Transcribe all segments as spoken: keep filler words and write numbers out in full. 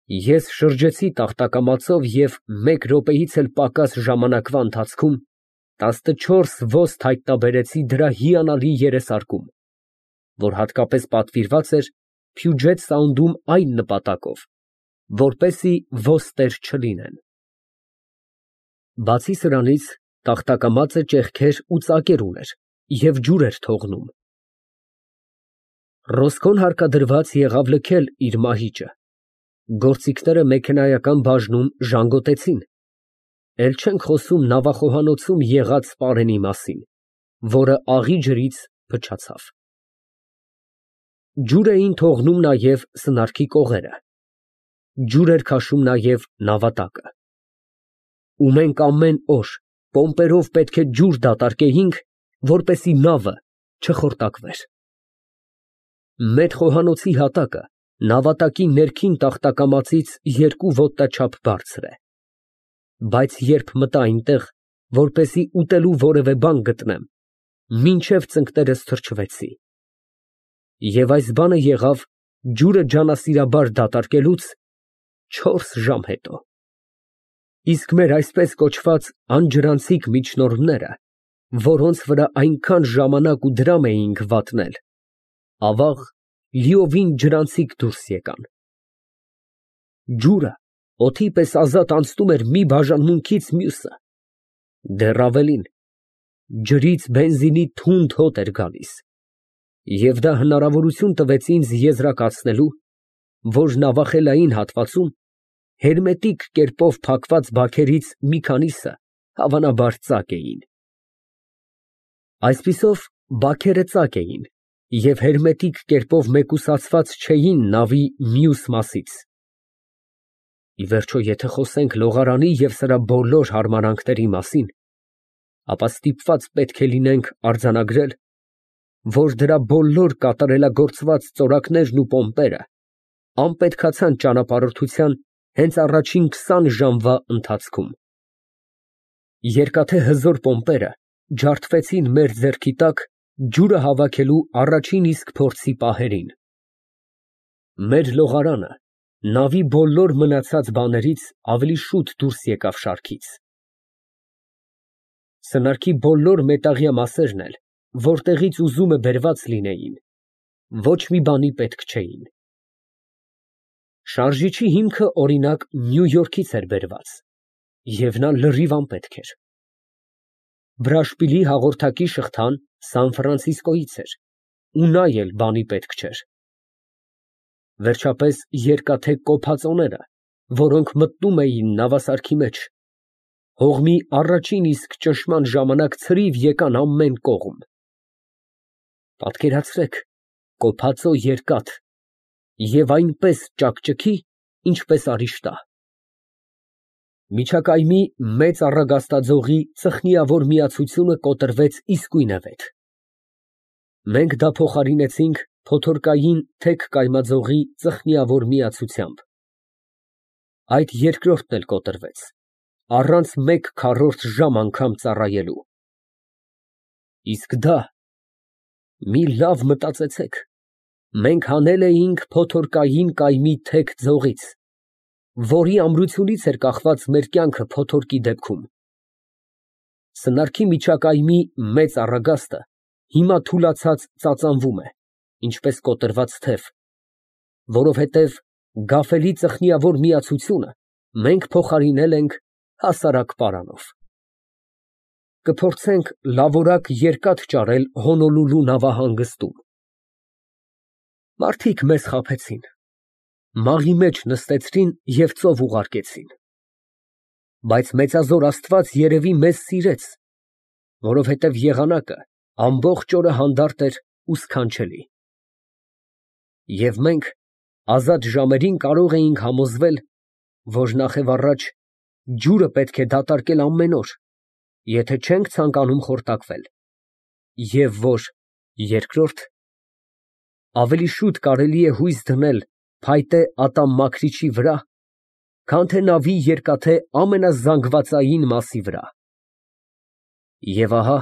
Ես շրջեցի տախտակամածով և մեկ րոպեից էլ պակաս ժամանակվա ընթացքում տասնչորս ոստ հայտնաբերեցի դրա հիանալի երեսարկում, որ հատկապես պատվիրված էր Puget Sound-ում այն նպատակով, որպեսզի ոստեր չլինեն։ Բացի սրանից, տախտակամածը ճեղքեր ու ծակեր ուներ և ջուր էր թողնում։ Ռոսկոն հարկադրված եղավ լքել իր մահիճը, գործիքները մեքենայական բաժնում ժանգոտեցին, էլ չենք խոսում նավախոհանոցում եղած պարենի մասին, որը աղի ջրից փչացավ։ Ջուր էին թողնում նաև սնարքի կողերը, ջուր էր քաշում նաև նավատակը։ Ու մենք ամեն օր պոմպերով պետք է ջուր դատարկեինք, որպեսզի նավը չխորտակվեր։ Մեր խոհանոցի հատակը նավատակի ներքին տախտակամածից երկու ոտնաչափ բարձր է, բայց երբ մտա այնտեղ, որպեսզի ուտելու որևէ բան գտնեմ, մինչև ծնկներս թրջվեցի։ Եվ այս բանը եղավ ջուրը ջանասիրաբար դատարկելուց չորս ժամ հետո։ Իսկ մեր այսպես կոչված անջրանցիկ միջնորդները, որոնց վրա այնքան ժամանակ ու դրամ էինք վատնել, ավաղ լիովին ջրանցիկ դուրս եկան։ Ջուրը օդի պես ազատ անցնում էր մի բաժանմունքից մյուսը, դեռ ավելին, ջրից բենզինի թունդ հոտ էր գալիս, և դա հնարավորություն տվեց ինձ եզրակացնելու, որ նավախելային հատվածում հերմետիկ կերպով փակված բաքերից մի քանիսը հավանաբար ծակ էին։ Այսպիսով, բաքերը ծակ էին և հերմետիկ կերպով մեկուսացված չէին նավի մյուս մասից։ Ի վերջո, եթե խոսենք լողարանի և սրա բոլոր հարմարանքների մասին, ապա ստիպված պետք է լինենք արձանագրել, որ դրա բոլոր կատարելագործված ծորակներն ու պոմպերը անպետքացան ճանապարհորդության հենց առաջին քսան ժամվա ընթացքում։ Երկաթե հզոր պոմպերը ջարդվեցին մեր ձեռքի տակ ջուրը հավաքելու առաջին իսկ փորձի պահերին։ Մեր լողարանը նավի բոլոր մնացած բաներից ավելի շուտ դուրս եկավ շարքից։ Սնարքի բոլոր մետաղյա մասերն էլ, որտեղից ուզումը բերված լինեին, ոչ մի բանի պետք չէին։ Շարժիչի հիմքը, օրինակ, Նյու Յորքից էր բերված, և նա լրիվ անպետք էր։ Բրաշպիլի հաղորդակի շղթան Սան Ֆրանցիսկոյից էր, ու նա էլ բանի պետք չէր։ Վերջապես, երկաթե կոփածոները, որոնք մտնում էին նավասարքի մեջ, հողմի առաջին իսկ ճնշման ժամանակ ցրիվ եկան ամեն կողմ։ Պատկերացրեք, կոփածո երկաթ և այնպես ճաքճքի, ինչպես արիշտա։ Միջակայմի մեծ առագաստաձողի ծխնիավոր միացությունը կոտրվեց իսկույնևեթ։ Մենք դա փոխարինեցինք փոթորկային թեք կայմաձողի ծխնիավոր միացությամբ։ Այդ երկրորդն էլ կոտրվեց, առանց մեկ քառորդ ժամ անգամ ծառայելու։ Իսկ դա, մի լավ մտածեցեք, մենք հանել էինք փոթորկային կայմի թեք ձողից, որի ամրությունից էր կախված մեր կյանքը փոթորկի դեպքում։ Սնարքի միջակայմի մեծ առագաստը հիմա թուլացած ծածանվում է, ինչպես կոտրված թև, որովհետև գաֆելի ծխնիավոր միացությունը մենք փոխարինել ենք հասարակ պարանով։ Կփորձենք լավորակ երկաթ ճարել Հոնոլուլու նավահանգստում։ Մարդիկ մեզ խաբեցին, մաղի մեջ նստեցրին և ծով ուղարկեցին։ Բայց մեծազոր Աստված երևի մեզ սիրեց, որովհետև եղանակը ամբողջ օրը հանդարտ էր ու սքանչելի։ Եվ մենք ազատ ժամերին կարող էինք համոզվել, որ նախևառաջ ջուրը պետք է դատարկել ամեն օր, եթե չենք ցանկանում խորտակվել, և որ, երկրորդ, ավելի շուտ կարելի է հույս դնել փայտե ատամմաքրիչի վրա, քան թե նավի երկաթե ամենազանգվածային մասի վրա։ Եվ ահա,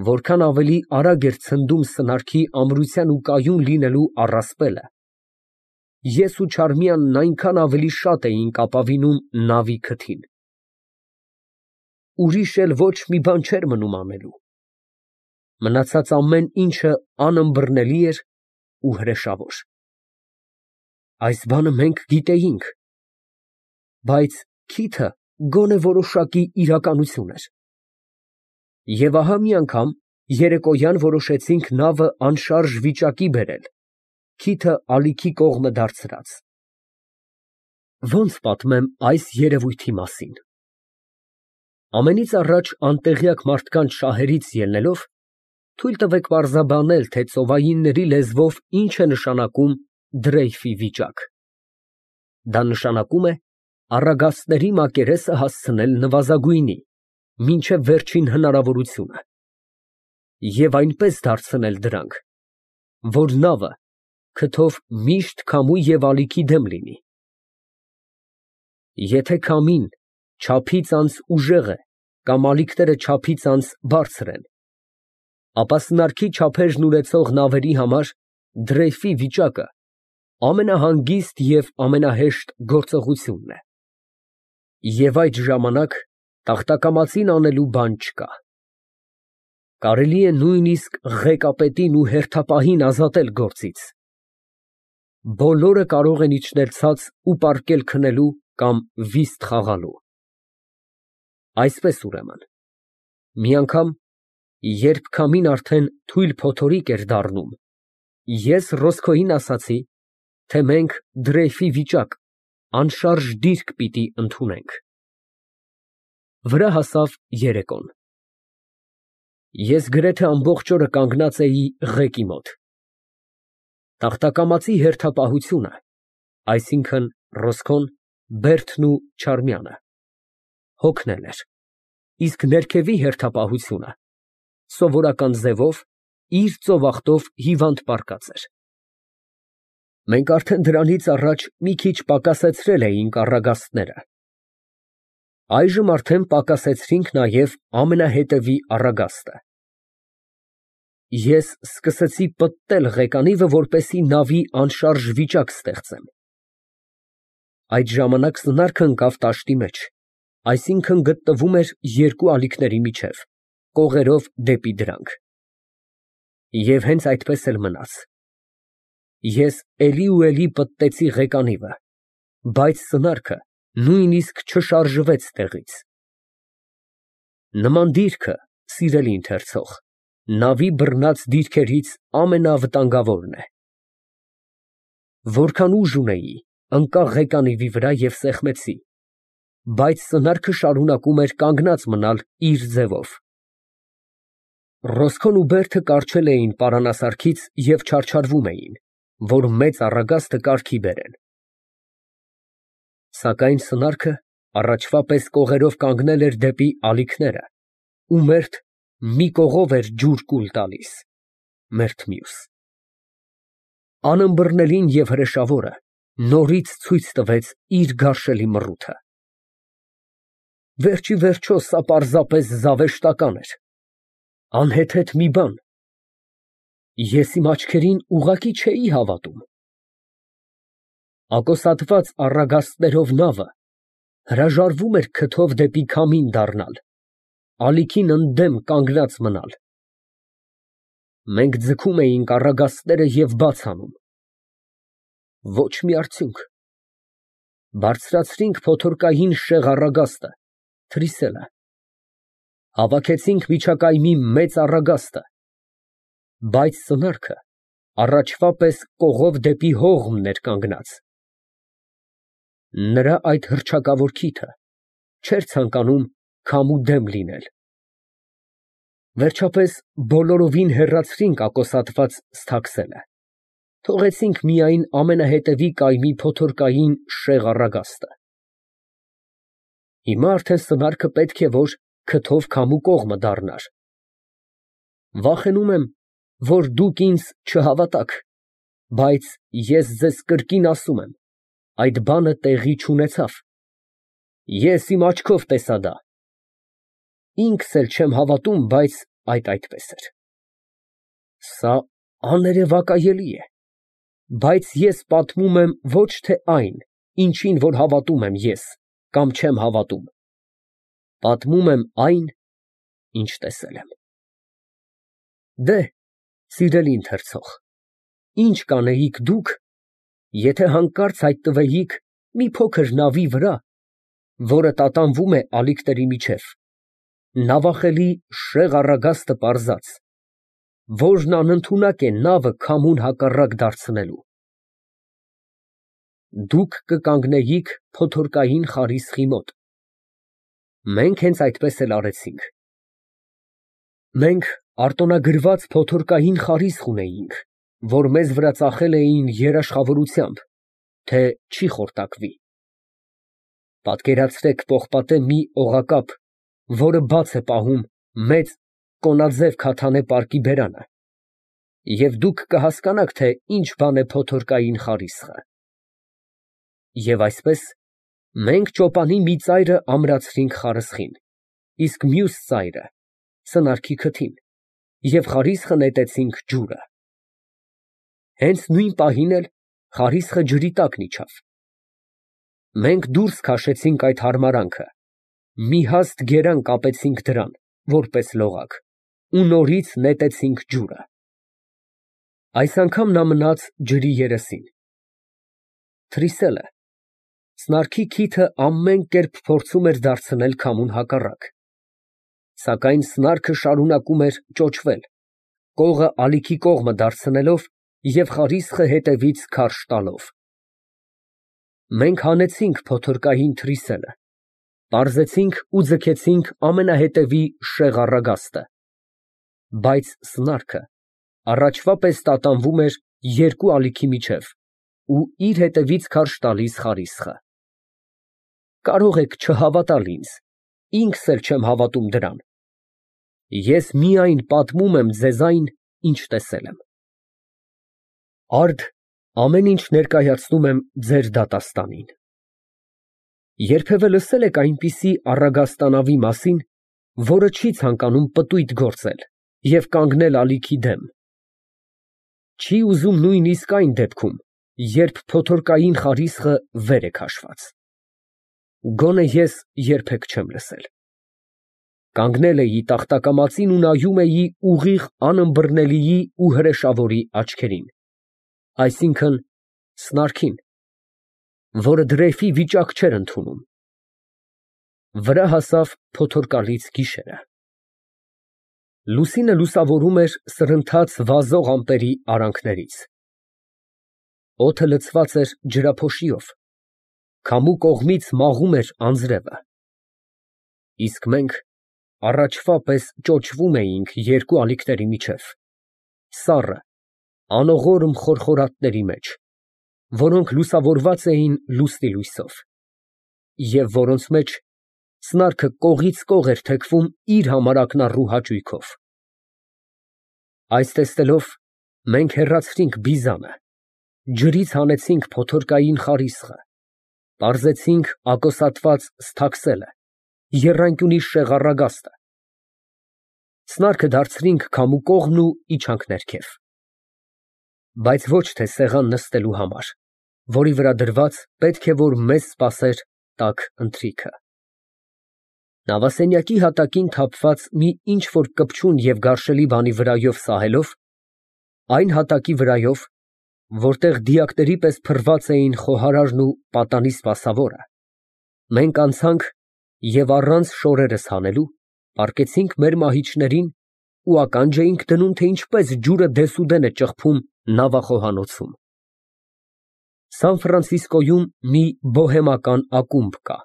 որքան ավելի արագ էր ցնդում սնարքի ամրության ու կայուն լինելու առասպելը, ես ու Չարմիանն այնքան ավելի շատ էինք ապավինում նավի քթին։ Ուրիշ էլ ոչ մի բան չէր մնում անելու։ Մնացած ամեն ինչը անըմբռնելի էր ու հրեշավոր։ Այս բանը մենք գիտեինք, բայց քիթը գոնե որոշակի իրականություն էր։ Եվ ահա մի անգամ երեկոյան որոշեցինք նավը անշարժ վիճակի բերել, քիթը ալիքի կողմը դարձրած։ Ո՞նց պատմեմ այս երևույթի մասին։ Ամենից առաջ անտեղյակ մարդկանց շահերից ելնելով, թույլ տվեք պարզաբանել, թե ծովայինների լեզվով ինչ է նշանակում դրեյֆի վիճակ։ Դա նշանակում է առագաստների մակերեսը հասցնել նվազագույնի, մինչև վերջին հնարավորությունը, և այնպես դարձնել դրանք, որ նավը քթով միշտ քամու և ալիքի դեմ լինի։ Եթե քամին չափից անց ուժեղ է կամ ալիքները չափից անց բարձր են, ապա սնարքի չափերն ունեցող նավերի համար դրեյֆի վիճակը ամենահանգիստ և ամենահեշտ գործողությունն է, և այդ ժամանակ տախտակամածին անելու բան չկա։ Կարելի է նույնիսկ ղեկապետին ու հերթապահին ազատել գործից։ Բոլորը կարող են իջնել ցած ու պառկել քնելու կամ վիստ խաղալու։ Այսպես ուրեմն, մի անգամ, երբ քամին արդեն թույլ փոթորիկ էր դառնում, ես Ռոսկոյին ասացի, թե մենք դրեյֆի վիճակ, անշարժ դիրք պիտի ընդունենք։ Վրա հասավ երեկոն։ Ես գրեթե ամբողջ օրը կանգնած էի ղեկի մոտ։ Տախտակամածի հերթապահությունը, այսինքն Ռոսկոն, Բերդն ու Չարմյանը, հոգնել էր, իսկ ներքևի հերթապահությունը սովորական ձևով իր ծովախտով հիվանդ պառկած էր։ Մենք արդեն դրանից առաջ մի քիչ պակասեցրել էինք առագաստները։ Այժմ արդեն պակասեցրինք նաև ամենահետևի առագաստը։ Ես սկսեցի պտտել ղեկանիվը, որպեսզի նավի անշարժ վիճակ ստեղծեմ։ Այդ ժամանակ սնարքը ընկավ տաշտի մեջ, այսինքն գտնվում էր երկու ալիքների միջև, կողերով դեպի դրանք։ Եվ հենց այդպես էլ մնաց։ Ես էլի ու էլի պտտեցի ղեկանիվը, բայց սնարքը նույնիսկ չշարժվեց տեղից։ Նման դիրքը, սիրելի ընթերցող, նավի բռնած դիրքերից ամենավտանգավորն է։ Որքան ուժ ունեի, ընկա ղեկանիվի վրա և սեղմեցի, բայց սնարքը շարունակում էր կանգնած մնալ իր ձևով։ Ռոսկոն ու Բերդը կառչել էին պարանասարքից և չարչարվում էին, որ մեծ առագաստը կարգի բերեն։ Սակայն սնարքը առաջվա պես կողերով կանգնել էր դեպի ալիքները, ու մերթ մի կողով էր ջուր կուլ տալիս, մերթ մյուս։ Անըմբռնելին և հրեշավորը նորից ցույց տվեց իր գարշելի մռութը։ Վերջիվերջո սա պարզապես զավեշտական էր, անհեթեթ մի բան։ Ես իմ աչքերին ուղղակի չէի հավատում։ Ակոսատված առագաստներով նավը հրաժարվում էր քթով դեպի քամին դառնալ, ալիքին ընդդեմ կանգնած մնալ։ Մենք ձգում էինք առագաստները և բաց անում։ Ոչ մի արդյունք։ Բարձրացրինք փոթորկային շեղ առագաստը, թրիսելը։ Հավաքեցինք միջակայմի մեծ առագաստը, բայց սնարքը առաջվա պես կողով դեպի հողմն էր կանգնած։ Նրա այդ հռչակավոր քիթը չէր ցանկանում քամու դեմ լինել։ Վերջապես բոլորովին հեռացրինք ակոսատված ստաքսելը, թողեցինք միայն ամենահետևի կայմի փոթորկային շեղ առագաստը։ Հիմա արդեն սնարքը պետք է որ քթով քամու կողմը դառնար։ Վախենում եմ, որ դուք ինձ չհավատաք, բայց ես ձեզ կրկին ասում եմ, այդ բանը տեղի չունեցավ։ Ես իմ աչքով տեսա դա։ Ինքս էլ չեմ հավատում, բայց այդ այդպես էր։ Սա աներևակայելի է։ Բայց ես պատմում եմ ոչ թե այն, ինչին որ հավատում եմ ես, կամ չեմ հավատում. պատմում եմ այն, ինչ տեսել եմ։ Դե, սիրելի ընթերցող, ի՞նչ կանեիք դուք, եթե հանկարծ հայտնվեիք մի փոքր նավի վրա, որը տատանվում է ալիքների միջև, նավախելի շեղ առագաստը պարզած, որն անընդունակ է նավը քամուն հակառակ դարձնելու։ Դուք կկանգնեիք փոթորկային խարիսխի մոտ։ Մենք հենց այդպես էլ արեցինք։ Մենք արտոնագրված փոթորկային խարիսխ ունեինք, որ մեզ վրա ծախել էին երաշխավորությամբ, թե չի խորտակվի։ Պատկերացրեք պողպատե մի օղակապ, որը բաց է պահում մեծ կոնաձև քաթանե պարկի բերանը, և դուք կհասկանաք, թե ինչ բան է փոթորկային խարիսխը։ Եվ այսպես, մենք ճոպանի մի ծայրը ամրացրինք խարսխին, իսկ մյուս ծայրը սնարքի քթին, և խարիսխը նետեցինք ջուրը։ Հենց նույն պահին էլ խարիսխը ջրի տակն իջավ։ Մենք դուրս քաշեցինք այդ հարմարանքը, մի հաստ գերան կապեցինք դրան, որպես լողակ, ու նորից նետեցինք ջուրը։ Այս անգամ նա մնաց ջրի երեսին։ Թրիսելը սնարքի քիթը ամեն կերպ փորձում էր դարձնել քամուն հակառակ, սակայն սնարքը շարունակում էր ճոճվել, կողը ալիքի կողմը դարձնելով և խարիսխը հետևից քարշ տալով։ Մենք հանեցինք փոթորկային թրիսելը, պարզեցինք ու ձգեցինք ամենահետևի շեղ առագաստը, բայց սնարքը առաջվա պես տատանվում էր երկու ալիքի միջև ու իր հետևից քարշ տալիս խարիսխը։ Կարող եք չհավատալ ինձ, ինքս էլ չեմ հավատում դրան։ Ես միայն պատմում եմ ձեզ այն, ինչ տեսել եմ։ Արդ ամեն ինչ ներկայացնում եմ ձեր դատաստանին։ Երբևէ լսե՞լ եք այնպիսի առագաստանավի մասին, որը չի ցանկանում պտույտ գործել և կանգնել ալիքի դեմ։ Չի ուզում նույնիսկ այն դեպքում, երբ փոթորկային խարիսխը վեր է քաշված։ Գոնե ես երբեք չեմ լսել։ Կանգնել էի տախտակամածին ու նայում էի ուղիղ անըմբռնելիի ու հրեշավորի աչքերին, այսինքն՝ սնարքին, որը դրեյֆի վիճակ չէր ընդունում։ Վրա հասավ փոթորկալից գիշերը։ Լուսինը լուսավորում էր սրընթաց վազող ամպերի արանքներից։ Օդը լցված էր ջրափոշիով, քամու կողմից մաղում էր անձրևը։ Իսկ մենք առաջվա պես ճոճվում էինք երկու ալիքների միջև, սառը, անողորմ խորխորատների մեջ, որոնք լուսավորված էին լուսնի լույսով, և որոնց մեջ սնարքը կողից կող էր թեքվում իր համար ակնառու հաճույքով։ Այս տեսնելով, մենք հեռացրինք բիզանը, ջրից հանեցինք փոթորկային խարիսխը, պարզեցինք ակոսատված սթաքսելը, եռանկյունի շեղ առագաստը, սնարքը դարձրինք քամու կողմն ու իջանք ներքև, բայց ոչ թե սեղան նստելու համար, որի վրա դրված պետք է որ մեզ սպասեր տաք ընթրիքը։ Նավասենյակի հատակին թափված մի ինչ֊որ կպչուն և գարշելի բանի վրայով սահելով, այն հատակի վրայով, որտեղ դիակների պես փռված էին խոհարարն ու պատանի սպասավորը, մենք անցանք և առանց շորերս հանելու, պառկեցինք մեր մահիճներին ու ականջ էինք դնում, թե ինչպես ջուրը դեսուդեն է ճխփում նավախոհանոցում։ Սան Ֆրանցիսկոյում մի բոհեմական ակումբ կա,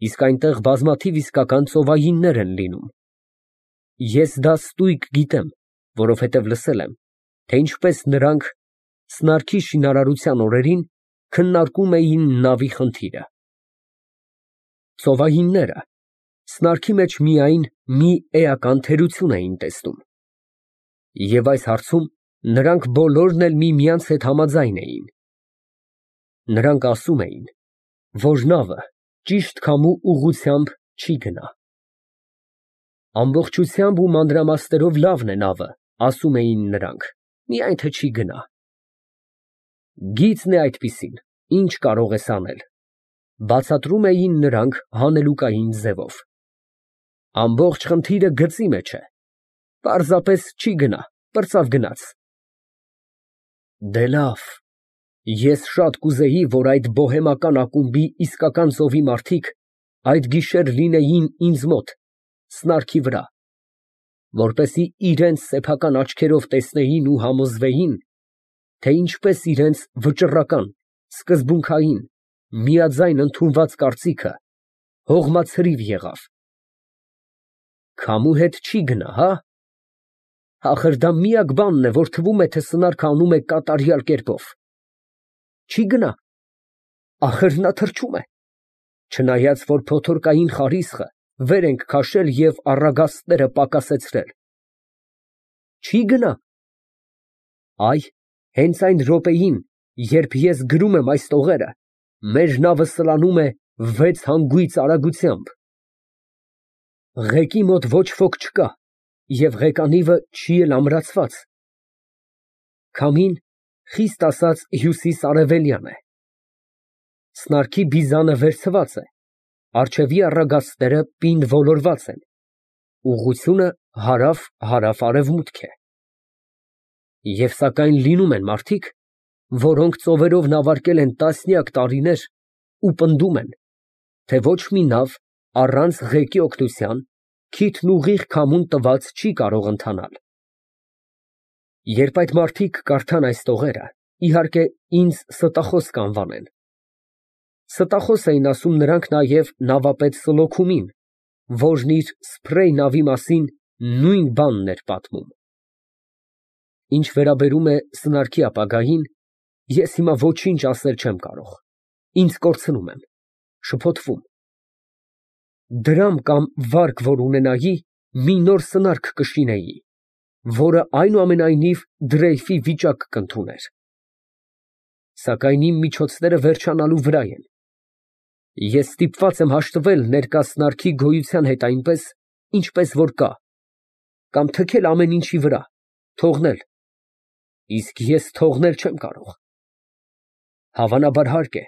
իսկ այնտեղ բազմաթիվ իսկական ծովայիններ են լինում։ Ես դա ստույգ գիտեմ, որովհետև լսել եմ, թե ինչպես նրանք սնարքի շինարարության օրերին քննարկում էին նավի խնդիրը։ Ծովայինները սնարքի մեջ միայն մի էական թերություն էին տեսնում, և այս հարցում նրանք բոլորն էլ միմյանց հետ համաձայն էին։ Նրանք ասում էին, որ նավը ճիշտ քամու ուղղությամբ չի գնա։ Ամբողջությամբ ու մանրամասներով լավն է նավը, ասում էին նրանք, միայն թե չի գնա։ Գիծն է այդպիսին, ինչ կարող ես անել, բացատրում էին նրանք հանելուկային ձևով։ Ամբողջ խնդիրը գծի մեջ է, պարզապես չի գնա, պրծավ գնաց։ Դե լավ, ես շատ կուզեի, որ այդ բոհեմական ակումբի իսկական ծովի մարդիկ այդ գիշեր լինեին ինձ մոտ, սնարքի վրա, որպեսզի իրենց սեփական աչքերով տեսնեին ու համոզվեին, թե ինչպես իրենց վճռական, սկզբունքային, միաձայն ընդունված կարծիքը հողմացրիվ եղավ։ Քամու հետ չի գնա, հա՞։ Ախր դա միակ բանն է, որ թվում է, թե սնարքը անում է կատարյալ կերպով։ Չի գնա։ Ախր նա թրջում է, չնայած որ փոթորկային խարիսխը վեր ենք քաշել և առագաստները պակասեցրել։ Չի գնա։ Այ, հենց այն րոպեին, երբ ես գրում եմ այս տողերը, մեր նավը սլանում է վեց հանգույց արագությամբ։ Ղեկի մոտ ոչ ոք չկա և ղեկանիվը չի էլ ամրացված։ Քամին, խիստ ասած, հյուսիս֊արևելյան է։ Սնարքի բիզանը վերցված է, առջևի առագաստները պինդ ոլորված են, ուղղությունը հարավ֊հարավ֊արևմուտք է։ Եվ սակայն լինում են մարդիկ, որոնք ծովերով նավարկել են տասնյակ տարիներ ու պնդում են, թե ոչ մի նավ առանց ղեկի օգնության քիթն ուղիղ քամուն տված չի կարող ընթանալ։ Երբ այդ մարդիկ կարդան այս տողերը, իհարկե, ինձ ստախոս կանվանեն։ Ստախոս էին ասում նրանք նաև նավապետ Սլոքումին, որն իր սփրեյ նավի մասին նույն բանն էր պատմում։ Ինչ վերաբերում է սնարքի ապագային, ես հիմա ոչինչ ասել չեմ կարող, ինձ կորցնում եմ, շփոթվում։ Դրամ կամ վարկ որ ունենայի, մի նոր սնարք կշինեի, որը այնուամենայնիվ դրեյֆի վիճակ կընդուներ։ Սակայն իմ միջոցները վերջանալու վրա են։ Ես ստիպված եմ հաշտվել ներկա սնարքի գոյության հետ այնպես, ինչպես որ կա, կամ թքել ամեն ինչի վրա, թողնել, իսկ ես թողնել չեմ կարող։ Հավանաբար հարկ է,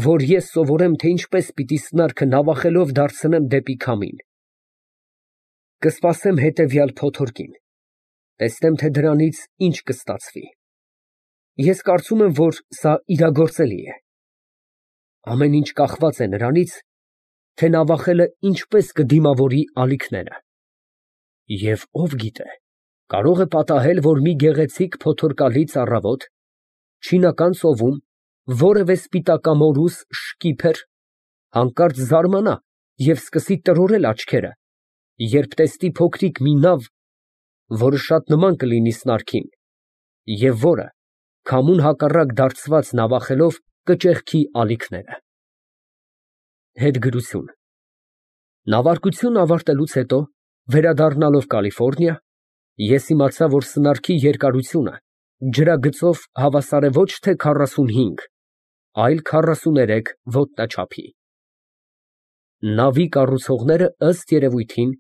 որ ես սովորեմ, թե ինչպես պիտի սնարքը նավախելով դարձնեմ դեպի քամին։ Կսպասեմ հետևյալ փոթորկին, տեսնեմ, թե դրանից ինչ կստացվի։ Ես կարծում եմ, որ սա իրագործելի է։ Ամեն ինչ կախված է նրանից, թե նավախելը ինչպես կդիմավորի ալիքները։ Եվ ով գիտե, կարող է պատահել, որ մի գեղեցիկ փոթորկալից առավոտ չինական ծովում որևէ սպիտակամորուս շկիփեր հանկարծ զարմանա և սկսի տրորել աչքերը, երբ տեսնի փոքրիկ մի նավ, որը շատ նման կլինի սնարքին, և որը, քամուն հակառակ դարձված նավախելով, կճեղքի ալիքները։ Հետգրություն։ Նավարկությունն ավարտելուց հետո, վերադառնալով Կալիֆոռնիա, ես իմացա, որ սնարքի երկարությունը ջրագծով հավասար է ոչ թե քառասունհինգ, այլ քառասուներեք ոտնաչափի։ Նավի կառուցողները, ըստ երևույթին,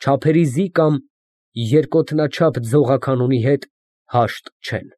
չափերիզի կամ երկոթնաչափ ձողականոնի հետ հաշտ չեն։